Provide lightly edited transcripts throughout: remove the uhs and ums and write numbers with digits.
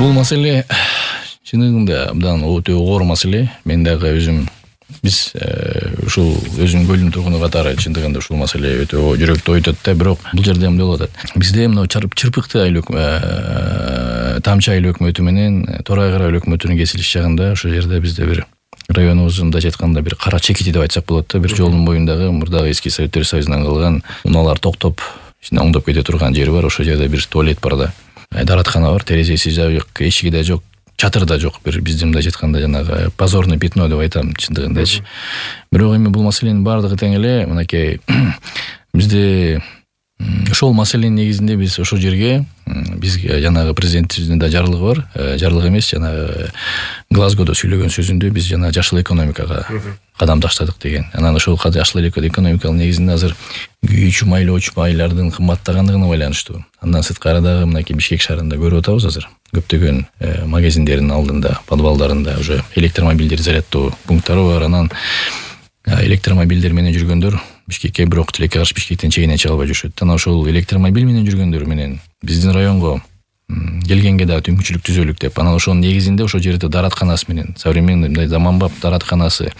Бул маселе чынында абдан өтө оор маселе. Мен дагы өзүм биз ушул өзүнүн бөлүм тургуну катары чындыгында ушул маселе өтө жүрөктү ойтот да, бирок бул жерде эмне болуп атат? Бизде мына чырпыкты айыл тамчы айыл өкмөтү менен Торай Кара айыл өкмөтүнүн кесилиш жагында ошол жерде бизде бир районубуздун мындайча айтканда бир кара чекити деп айтсак болот да, бир жолдун боюндагы мурдагы эски Советтер Союзунан калган унаалар токтоп оңдоп кете турган жери бар. Ошол жерде бир туалет бар да, дараткана бар, терезеси жок, эшиги да жок, чатыр да жок. Бир биздин мындайча айтканда жанагы позорный пятно деп айтам чындыгындачы. Бирок эми бул маселенин баардыгы тең эле мынакей бизде ошол маселенин негизинде биз ошол жерге бизге жанагы президентибиздин да жарлыгы бар, жарлык эмес, жанагы Глазгодо сүйлөгөн сөзүндө биз жана жашыл экономикага кадам таштадык деген. Анан ошол жашыл экономиканын негизинде азыр күйүүчү майлоочу майлардын кымбаттагандыгына байланыштуу. Андан сырткары дагы мынакей Бишкек шаарында көрүп атабыз азыр көптөгөн магазиндердин алдында, подвалдарында уже электромобилдер зарядтоо пункттары бар. Анан электромобилдер менен жүргөндөр Бишкекке бирок тилекке каршы Бишкектен чегине чыга албай жүрүшөт. Анан ошол электромобиль менен жүргөндөр менен биздин районго келгенге дагы мүмкүнчүлүк түзөлүк деп. Анан ошонун негизинде ошол жерде даратканасы менен современный мындай заманбап даратканасы,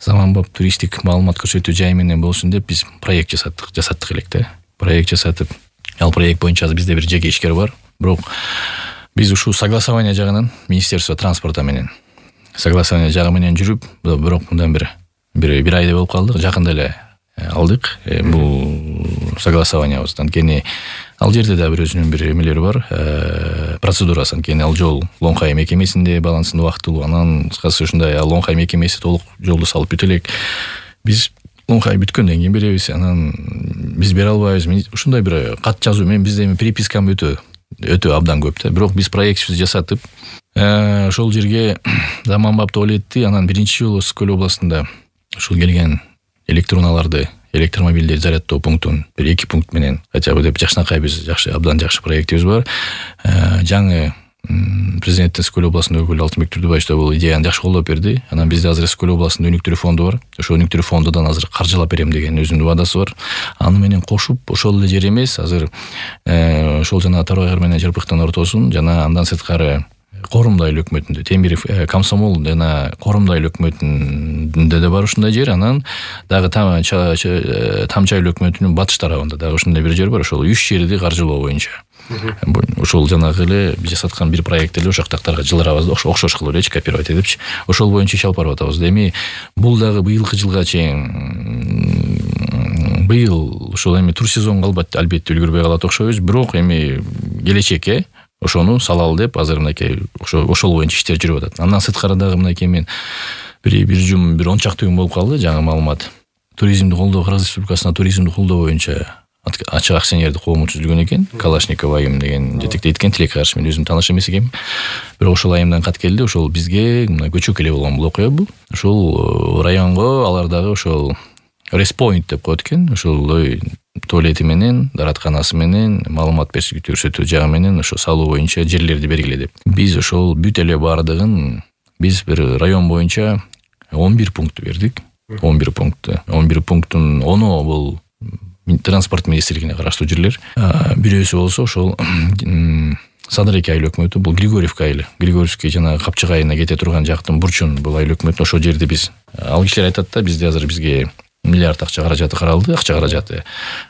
заманбап туристтик маалымат көрсөтүү жай менен болсун деп биз проект жасаттык элек да. Проект жасатып, ал проект боюнча бизде бир жеке ишкер бар. Бирок биз ушул согласование жагынан Министерство транспорта менен согласование жагы менен жүрүп, бирок мындан бир айда болуп калдык. Жакында эле алдык бул согласованиябызды. Анткени ал жерде да бир өзүнүн бир эмелери бар, процедурасы. Анткени ал жол Лоңкай мекемесинде балансын убактылуу. Анан кыскасы ушундай ал Лоңкай мекемеси толук жолду салып бүтө элек. Биз Лоңкай бүткөндөн кийин беребиз. Анан биз бере албайбыз. Ушундай бир кат жазуу менен бизде эми перепискам өтө абдан көп да. Бирок биз проектибизди жасатып, ошол жерге заманбап туалетти, анан биринчи жолу Ысык-Көл областында ушул келген электроунааларды, электромобилдерди зарядтоо пунктун бир 2 пункт менен хотя бы деп жакшынакай биз абдан жакшы проектибиз бар. Жаңы президенттин Ысык-Көл областындын өкүлү Алтынбек Турдубаевич да бул идеяны жакшы колдоп берди. Анан бизде азыр Ысык-Көл областында өнүктүрүү фонду бар. Ошол өнүктүрүү фондудан азыр каржылап берем деген өзүнүн вадасы бар. Аны менен кошуп ошол эле жер эмес, азыр ошол жана Торай Кара менен Чырпыктын ортосун жана андан сырткары Корумду айыл өкмөтүндө, Темиров, Комсомол жана Корумду айыл өкмөтүндө да бар ушундай жер. Анан дагы Тамчы айыл өкмөтүнүн батыш тарабында дагы ушундай бир жер бар. Ошол 3 жерди каржылоо боюнча. Ошол жанагы эле биз жасаткан бир проект эле ошол жактарга жылдырабыз да, окшош кылып элечи, копировать этипчи. Ошол боюнча иш алып барып атабыз. Эми бул дагы быйылкы жылга чейин быйыл ошол эми тур сезонго албетте үлгүрбөй калат окшойбуз. Бирок эми келечекке ошону салалы деп азыр мынакей ошол боюнча иштер жүрүп атат. Андан сырткары дагы мынакей мен бир ончакты күн болуп калды. Жаңы маалымат. Туризмди колдоо, Кыргыз Республикасына туризмди колдоо боюнча ачык акционердик коому түзүлгөн экен. Калашников айым деген жетектейт экен. Тилекке каршы мен өзүм тааныш эмес экенмин. Бирок ошол айымдан кат келди. Ошол бизге көчөк эле болгон бул окуя бул. Ошол районго алар дагы ошол респоинт деп коет экен. Ошол туалети менен, даратканасы менен, маалымат көрсөтүү жагы менен ошо салуу боюнча жерлерди бергиле деп. Биз ошол бүт эле баардыгын биз бир район боюнча 11 пункт бердик. 11 пункттун 10 бул транспорт министрлигине караштуу жерлер. Бирөөсү болсо ошол Садыреке айыл өкмөтү, бул Григорьевка айылы. Григорьевский жана Капчык айылына кете турган жактын бурчун бул айыл өкмөтү. Ошол жерде биз ал кишилер айтат да, бизде азыр бизге миллиард акча каражаты каралды,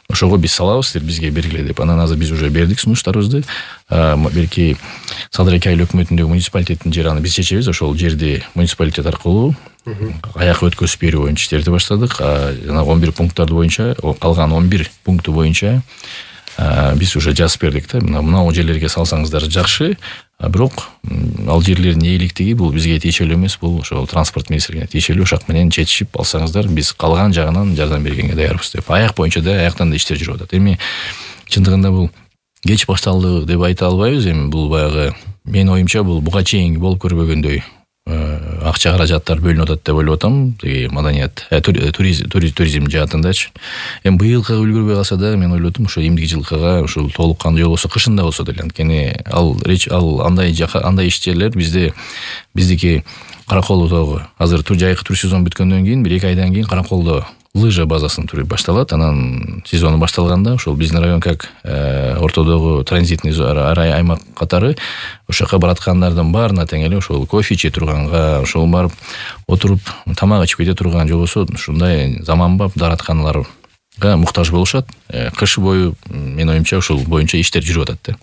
ошого биз салабыз, бизге бергиле деп. Анан азыр биз уже бердик сунуштарыбызды. Белки Садыреке айыл өкмөтүндөгү муниципалитеттин жери, аны биз чечебиз. Ошол жерди муниципалитет аркылуу аяк өткөзүп берүү боюнча иштерди баштадык. Жана 11 пункттарды боюнча, калган 11 пункту боюнча биз уже жазып бердик да. Мына жерлерге салсаңыздар жакшы. Бирок ал жерлердин ээликтиги бул бизге тиешелүү эмес, бул ошол транспорт министрлигине тиешелүү. Ошак менен чечишип алсаңыздар, биз калган жагынан жардам бергенге даярбыз деп. Аяк боюнча да, аяктан да иштер жүрүп атат. Эми чындыгында бул кеч башталды деп айта албайбыз. Эми бул баягы менин оюмча бул буга чейин болуп көрбөгөндөй акча каражаттар бөлүнүп атат деп ойлоп атам. Маданият, туризм жаатындачы. Эми быйылкы үлгүрбөй калса да, мен ойлодум ошо эмдиги жылкыга ушул толук кандуу жол болсо, кышында болсо деле. Анткени ал андай ишчилер биздики Караколдо азыр жайкы тур сезон бүткөндөн кийин бир 2 айдан кийин Караколдо лыжа базасын түрү башталат. Анан сезону башталганда ошол биздин район как ортодогу транзитный аймак катары ошол жака бараткандардын баарына тең эле ошол кофе иче турганга, ошол барып отуруп тамак ичип кете турган, же болбосо ушундай заманбап дааратканаларга муктаж болушат. Кыш бою менин оюмча ушул боюнча иштер жүрүп атат да.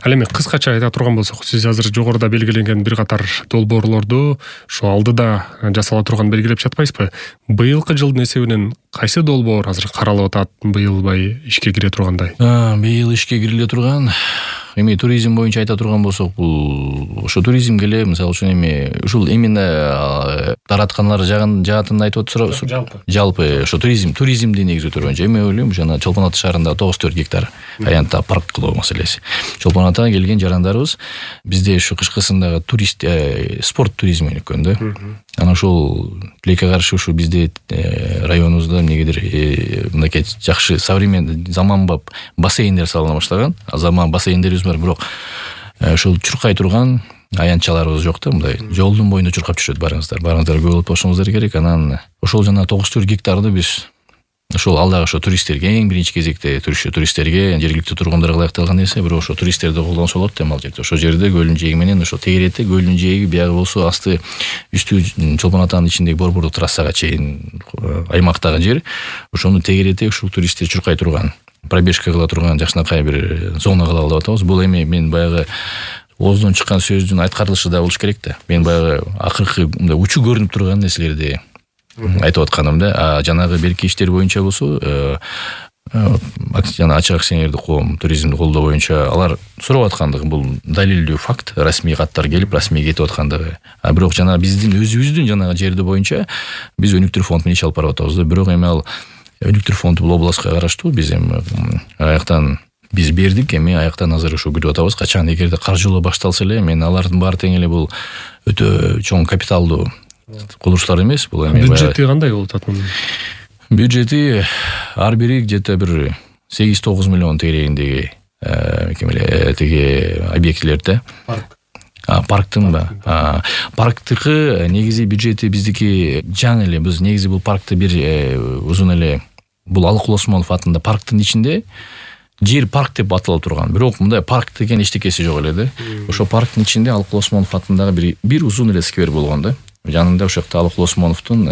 Ал эми кыскача айта турган болсок, сиз азыр жогоруда белгиленген бир катар долбоорлорду ушул алдыда жасала турган белгилеп жатпайсызбы? Быйылкы жылдын эсебинен кайсы долбоор азыр каралып атат, быйыл ишке кире тургандай? Быйыл ишке кириле турган эми туризм боюнча айта турган болсок, бул ошо туризмге эле мисалы үчүн эми ушул именно дааратканалар жаатында айтып отурсуз, жалпы ошо туризмди негиздөө боюнча эми ойлойм жана Чолпон Ата шаарында 94 гектар аянтта парк кылуу маселеси. Чолпон Атага келген жарандарыбыз бизде ушу кышкысындагы турист спорт туризми экөн да. Анан ошол тилекке каршы ушу бизде районубузда эмнегедир мынакей жакшы современный заманбап бассейндер салына баштаган. Заман бассейндерибиз бар, бирок ошол чуркай турган аянтчаларыбыз жок да, мындай жолдун боюнда чуркап жүрөт барыңыздар көп болуп болушуңуздар керек. Анан ошол жана 94 гектарды биз ошол алдагы ошо туристтерге, эң биринчи кезекте туристтерге, жергиликтүү тургундарга ылайыкталган нерсе, бирок ошо туристтерди колдонсо болот эми ал жерде. Ошол жерде көлдүн жээги менен ошо тегеретте көлдүн жээги, биягы болсо асты үстү Чолпон Атанын ичиндеги борбордук трассага чейин аймактагы жер. Ошону тегеретте ушул туристтер чуркай турган, пробежка кыла турган жакшынакай бир зона кылалы деп атабыз. Бул эми мен баягы ооздон чыккан сөздүн айткарылышы да болуш керек да. Мен баягы акыркы мындай учу көрүнүп турган нерселерди айтып атканым да. Жанагы берки иштер боюнча болсо, жана ачык акционердик коом туризмди колдоо боюнча алар сурап аткандыгы бул далилдүү факт, расмий каттар келип, расмий кетип аткандыгы. Бирок жана биздин өзүбүздүн жанагы жерди боюнча биз өнүктүрүү фонд менен иш алып барып атабыз да. Бирок эми ал өнүктүрүү фонду бул областка караштуу. Биз эми аяктан биз бердик, эми аяктан азыр ушу күтүп атабыз. Качан эгерде каржылоо башталса эле, мен алардын баары тең эле бул өтө чоң капиталдуу курулуштар эмес. Бул эми бюджети кандай болуп атат мунун? Бюджети ар бири где-то бир 8-9 миллион тегерегиндеги тиги объектилерде. Парктын парктыкы негизи бюджети биздики жаңы эле. Биз негизи бул паркты бир узун эле бул Алыкул Осмонов атында парктын ичинде жер парк деп аталып турган. Бирок мындай парк деген эчтекеси жок эле да. Ошо парктын ичинде Алыкул Осмонов атындагы бир узун эле сквер болгон да. Жанында ошол жакта Алыкул Осмоновдун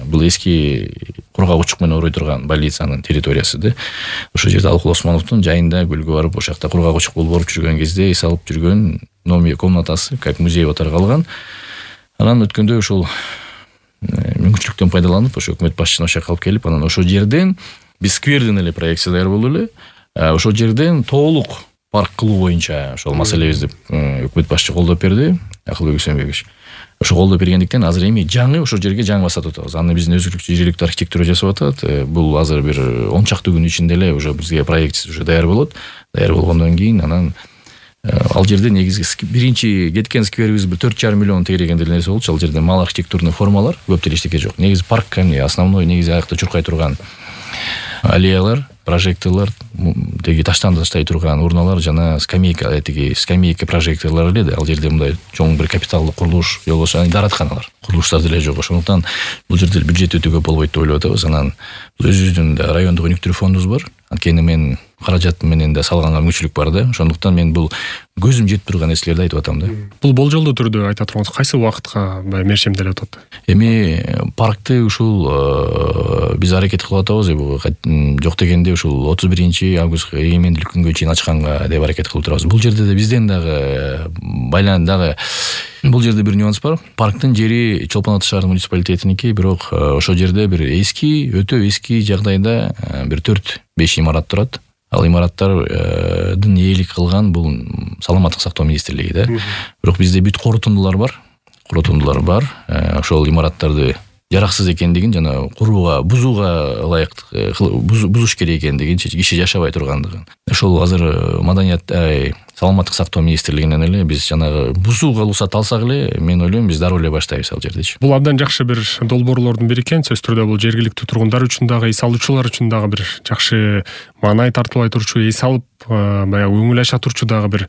бул эски кургак учук менен орой турган больницанын территориясы да. Ошол жерде Алыкул Осмоновдун жайында көлгө барып, ошол жакта кургак учук болуп оруп жүргөн кезде эс алып жүргөн номер комнатасы, как музей катары калган. Анан өткөндө ошол мүмкүнчүлүктөн пайдаланып, ошо өкмөт башчысына ошол жака алып келип, анан ошол жерден биз сквердин эле проекция даяр болду эле. Ошол жерден толук парк кылуу боюнча ошол маселебизди өкмөт башчы колдоп берди, Акылбек Үсөнбекович. Ошо колдоп бергендиктен азыр эми жаңы ошол жерге жаңы басатып атабыз. Аны биздин өзүлүктүү жергиликтүү архитектура жасап атат. Бул азыр бир 10 чакты күн ичинде эле уже бизге проект уже даяр болот. Даяр болгондон кийин анан ал жерде негизги биринчи кеткен скверибиз бир 4,5 миллион тегерегенде нерсе болчу. Ал жерде мал архитектурный формалар, көп деле эчтеке жок. Негизи парк основной негизи аякта чуркай турган аллеялар, прожекторлор, деги таштан таштай турган урналар жана скамейка прожекторлор эле да. Ал жерде мындай чоң бир капиталдуу курулуш, же болбосо дааратканалар, курулуштар деле жок. Ошондуктан бул жерде бюджет өтө көп болбойт деп ойлоп атабыз. Анан өзүбүздүн райондук өнүктүрүү фондубуз бар. Анткени мен каражат менен да салганга мүмкүнчүлүк бар да. Ошондуктан мен бул көзүм жетип турган нерселерди айтып атам да. Бул болжолдуу түрдө айта тургансыз, кайсы убакытка мерчемделип атат? Эми паркты ушул биз аракет кылып атабыз. Жок дегенде ушул 31 август эгемендүүлүк күнгө чейин ачканга деп аракет кылып турабыз. Бул жерде да бизден дагы бул жерде бир нюанс бар. Парктын жери Чолпон Ата шаар муниципалитетиники, бирок ошол жерде бир өтө эски жагдайда бир 4-5 имарат турат. Ал имараттардын ээлик кылган бул саламаттык сактоо министрлиги да. Бирок бизде бүт корутундулар бар. Ошол имараттарды жараксыз экендигин жана курууга, бузууга ылайыктуу, бузуш керек экендигин, киши жашабай тургандыгын. Ошол азыр маданият саламаттык сактоо министрлигинен эле биз жанагы бузууга уруксат алсак эле мен ойлойм биз дароо эле баштайбыз ал жердечи. Бул абдан жакшы бир долбоорлордун бири экен. Сөзсүз түрдө бул жергиликтүү тургундар үчүн дагы, эс алуучулар үчүн дагы бир жакшы маанай тартуулай турчу, эс алып баягы көңүл ача турчу дагы бир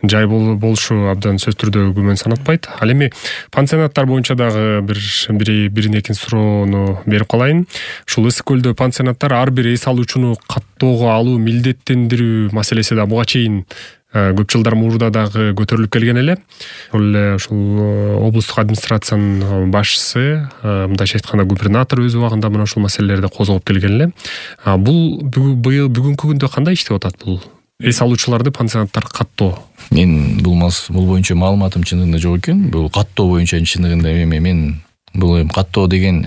жай болушу абдан сөзсүз түрдө күмөн санатпайт. Ал эми пансионаттар боюнча дагы бирин экинчи суроону берип калайын. Ушул Ысык көлдө пансионаттар ар бир эс алуучуну каттоого алуу, милдеттендирүү маселеси да буга чейин көп жылдар мурда дагы көтөрүлүп келген эле. Ушул облустук администрациянын башчысы, мындайча айтканда губернатор өз убагында мына ушул маселелерди козгоп келген эле. Бул бүгүнкү күндө кандай иштеп атат бул эс алуучуларды пансионаттар каттоо? Мен бул боюнча маалыматым чындыгында жок экен. Бул каттоо боюнча чындыгында мен бул каттоо деген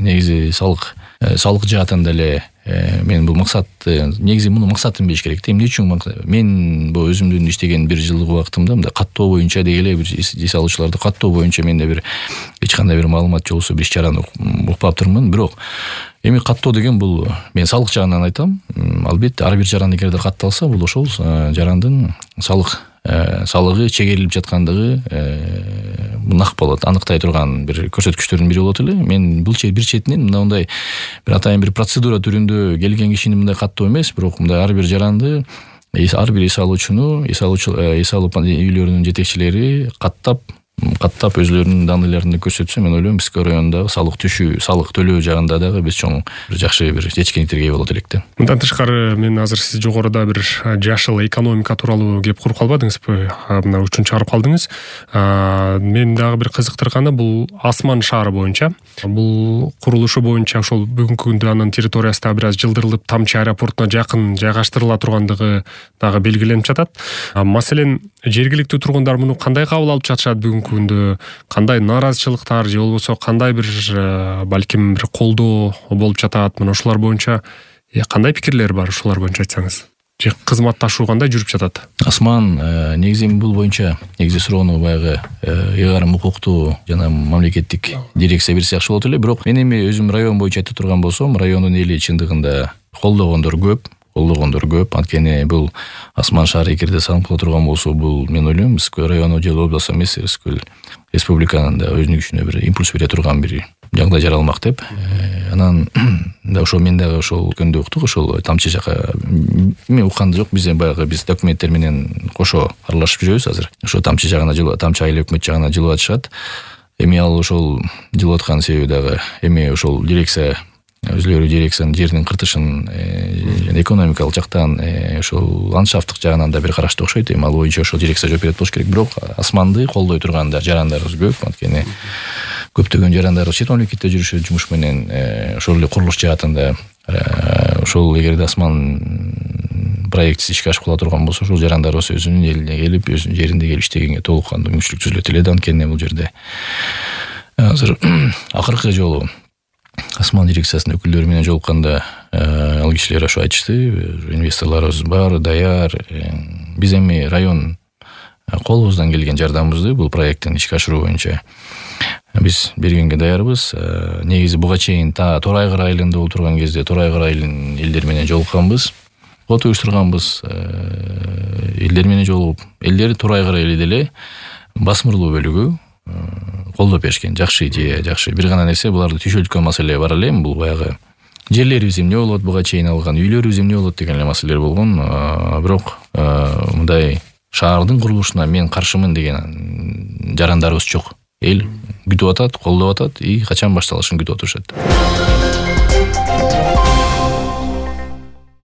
негизи салык жаатында эле мен бул максат негизи муну максатын билиш керек. Эмне үчүн мен бул өзүмдүн иштеген бир жылдык убактымда мындай каттоо боюнча дегеле бир эс алуучуларды каттоо боюнча менде бир эч кандай бир маалымат жок болсо бир иш-чараны укпаптырмын. Бирок эми каттоо деген бул мен салык жагынан айтам. Албетте ар бир жаран эгерде катталса, бул ошол жарандын салыгы чегерилип жаткандыгы нак болот, аныктай турган бир көрсөткүчтөрдүн бири болот эле. Мен бул бир четинен мындай бир атайын бир процедура түрүндө келген кишини мындай каттоо эмес, бирок мындай ар бир жаранды, ар бир эс алуучуну, эс алуу үйлөрүнүн жетекчилери каттап өзлөрүнүн данныйларын көрсөтсө, мен ойлойм Ысык районундагы салык төлөө жагында дагы биз чоң жакшы бир жетишкендиктерге ээ болот элек да. Мындан тышкары мен азыр сиз жогоруда бир жашыл экономика тууралуу кеп куруп калбадыңызбы? Мына үчүн чыгарып калдыңыз. Мен дагы бир кызыктырганы бул Асман шаары боюнча. Бул курулушу боюнча ошол бүгүнкү күндө анын территориясы да бир аз жылдырылып, Тамчы аэропортуна жакын жайгаштырыла тургандыгы дагы белгиленип жатат. Маселен, жергиликтүү тургундар муну кандай кабыл алып жатышат? Бүгүнкү күндө кандай нааразычылыктар же болбосо кандай бир балким бир колдоо болуп жатат? Мына ушулар боюнча кандай пикирлер бар, ушулар боюнча айтсаңыз? Же кызматташуу кандай жүрүп жатат? Асман, негизи бул боюнча негизи суроону баягы ыйгарым укуктуу жана мамлекеттик дирекция берсе жакшы болот эле. Бирок мен эми өзүм район боюнча айта турган болсом, райондун эли чындыгында колдогондор көп. Анткени бул Асман шаары эгерде салынып кала турган болсо, бул мен ойлойм Ысык көл району же область эмес, Ысык көл республиканын да өзүнүн күчүнө бир импульс бере турган бир жагдай жаралмак деп. Анан да ошол мен дагы ошол көндө уктук, ошол Тамчы жака мен укканда жок. Биз документтер менен кошо аралашып жүрөбүз азыр. Ошо Тамчы жагына, Тамчы айыл өкмөт жагына жылып атышат. Эми ал ошол жылып аткан себеби дагы эми ошол дирекция өзлөрү дирекциянын жеринин кыртышын экономикалык жактан ошол ландшафттык жагынан да бир карашты окшойт. Эми ал боюнча ошол дирекция жооп берет болуш керек. Бирок Асманды колдой турган жарандарыбыз көп. Анткени көптөгөн жарандарыбыз чет мамлекетте жүрүшөт жумуш менен, ошол эле курулуш жаатында. Ошол эгерде Асман проектиси ишке ашып кала турган болсо, ошол жарандарыбыз өзүнүн элине келип, өзүнүн жеринде келип иштегенге толук кандуу мүмкүнчүлүк түзүлөт эле да. Анткени бул жерде азыр акыркы жолу Асман дирекциясынын өкүлдөрү менен жолукканда ал кишилер ошо айтышты, инвесторлорубуз бар, даяр. Биз эми район колубуздан келген жардамыбызды бул проекттин ишке ашыруу боюнча биз бергенге даярбыз. Негизи буга чейин Торайгыр айылында болуп турган кезде Торайгыр айылынын элдери менен жолукканбыз, фото уюштурганбыз. Элдер менен жолугуп, элдер Торайгыр айылы деле басмырлуу бөлүгү колдоп беришкен. Жакшы идея, жакшы. Бир гана нерсе, буларды түйшөлткөн маселе бар эле. Бул баягы жерлерибиз эмне болот, буга чейин алган үйлөрүбүз эмне болот деген эле маселелер болгон. Бирок мындай шаардын курулушуна мен каршымын деген жарандарыбыз жок. Эл күтүп атат, колдоп атат, качан башталышын күтүп отурушат.